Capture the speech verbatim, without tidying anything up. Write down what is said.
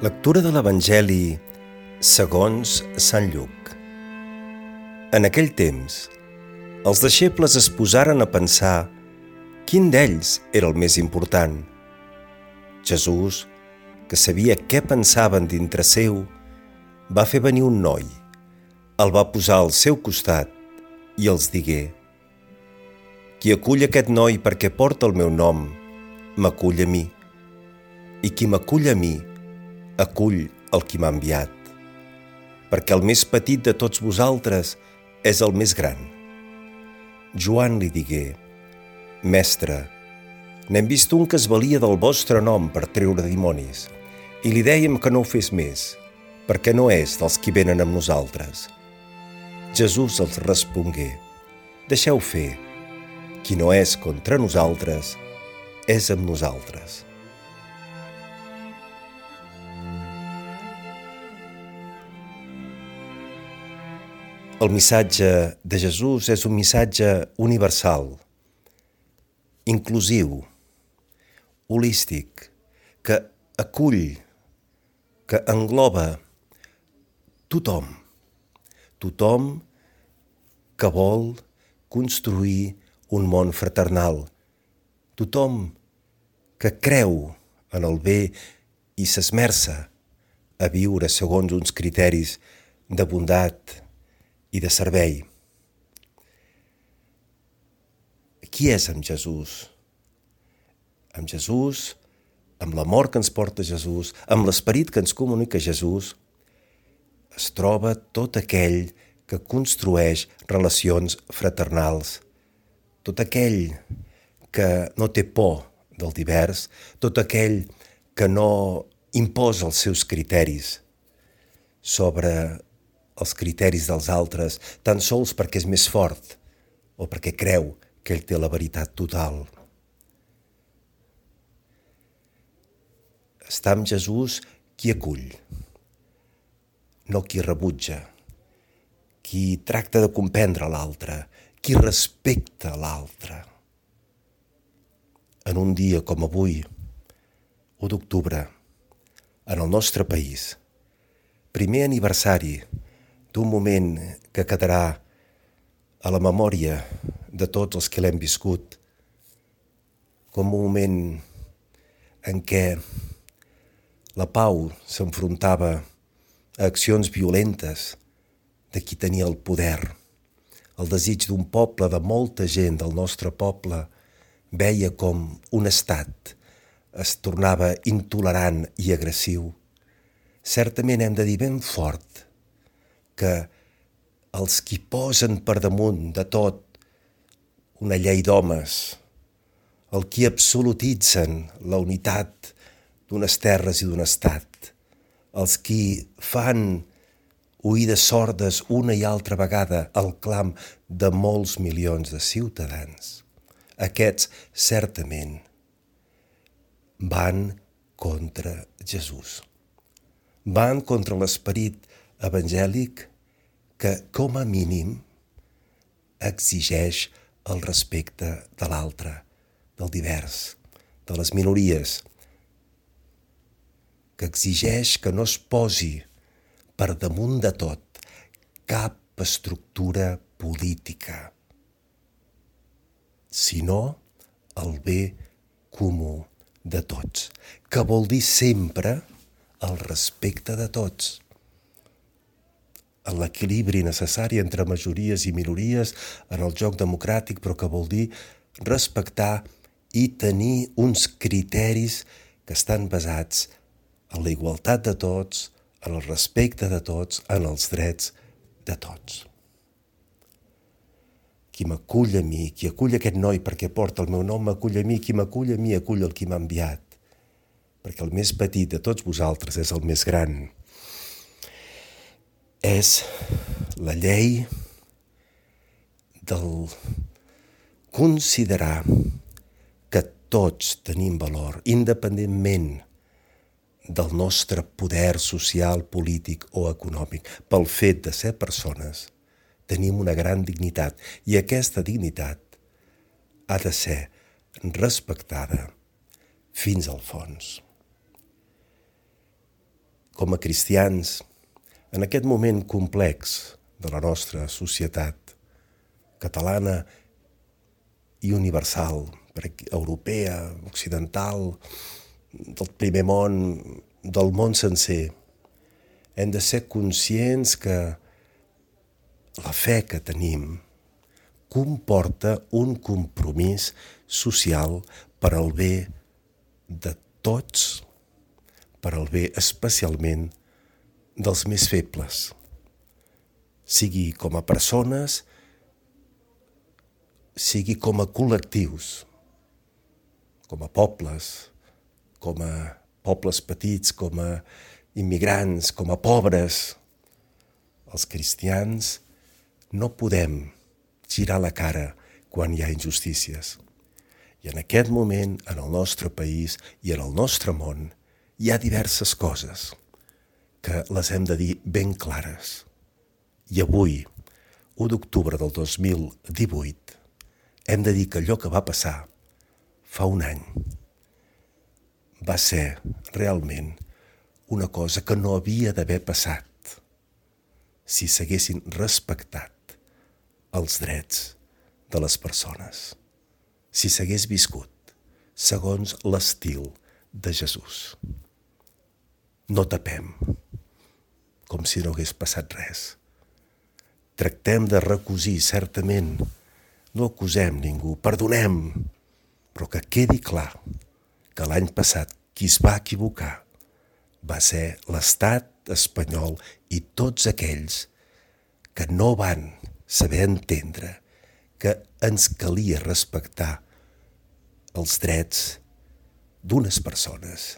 Lectura de l'Evangeli segons Sant Lluc. En aquell temps, els deixebles es posaren a pensar quin d'ells era el més important. Jesús, que sabia què pensaven dintre seu, va fer venir un noi, el va posar al seu costat i els digué: «Qui acull aquest noi perquè porta el meu nom, m'acull a mi, i qui m'acull a mi, acull el qui m'ha enviat, perquè el més petit de tots vosaltres és el més gran». Joan li digué: «Mestre, n'hem vist un que es valia del vostre nom per treure dimonis, i li dèiem que no ho fes més, perquè no és dels qui venen amb nosaltres». Jesús els respongué: «Deixeu fer, qui no és contra nosaltres, és amb nosaltres». El missatge de Jesús és un missatge universal, inclusiu, holístic, que acull, que engloba tothom, tothom que vol construir un món fraternal, tothom que creu en el bé i s'esmerça a viure segons uns criteris de bondat i de servei. Qui és amb Jesús? Amb Jesús, amb l'amor que ens porta Jesús, amb l'esperit que ens comunica Jesús, es troba tot aquell que construeix relacions fraternals, tot aquell que no té por del divers, tot aquell que no imposa els seus criteris sobre els criteris dels altres, tan sols perquè és més fort o perquè creu que ell té la veritat total. Està amb Jesús qui acull, no qui rebutja, qui tracta de comprendre l'altre, qui respecta l'altre. En un dia com avui, u d'octubre, en el nostre país, primer aniversari d'un moment que quedarà a la memòria de tots els que l'hem viscut, com un moment en què la pau s'enfrontava a accions violentes de qui tenia el poder. El desig d'un poble, de molta gent del nostre poble, veia com un estat es tornava intolerant i agressiu. Certament hem de dir ben fort que els qui posen per damunt de tot una llei d'homes, el qui absolutitzen la unitat d'unes terres i d'un estat, els qui fan oïdes sordes una i altra vegada al clam de molts milions de ciutadans, aquests certament van contra Jesús, van contra l'esperit evangèlic que, com a mínim, exigeix el respecte de l'altre, del divers, de les minories, que exigeix que no es posi per damunt de tot cap estructura política, sinó el bé comú de tots, que vol dir sempre el respecte de tots, l'equilibri necessari entre majories i minories en el joc democràtic, però que vol dir respectar i tenir uns criteris que estan basats en la igualtat de tots, en el respecte de tots, en els drets de tots. Qui m'acull a mi, qui acull aquest noi perquè porta el meu nom, m'acull a mi, qui m'acull a mi, acull el qui m'ha enviat, perquè el més petit de tots vosaltres és el més gran. És la llei del considerar que tots tenim valor, independentment del nostre poder social, polític o econòmic. Pel fet de ser persones, tenim una gran dignitat i aquesta dignitat ha de ser respectada fins al fons. com a cristians, en aquest moment complex de la nostra societat catalana i universal, europea, occidental, del primer món, del món sencer, hem de ser conscients que la fe que tenim comporta un compromís social per al bé de tots, per al bé especialment dels més febles, sigui com a persones, sigui com a col·lectius, com a pobles, com a pobles petits, com a immigrants, com a pobres. Els cristians no podem girar la cara quan hi ha injustícies. I en aquest moment, en el nostre país i en el nostre món, hi ha diverses coses que les hem de dir ben clares. I avui, u d'octubre del dos mil divuit, hem de dir que allò que va passar fa un any va ser realment una cosa que no havia d'haver passat si s'haguessin respectat els drets de les persones, si s'hagués viscut segons l'estil de Jesús. No tapem, com si no hagués passat res. Tractem de recosir, certament, no acusem ningú, perdonem, però que quedi clar que l'any passat qui es va equivocar va ser l'estat espanyol i tots aquells que no van saber entendre que ens calia respectar els drets d'unes persones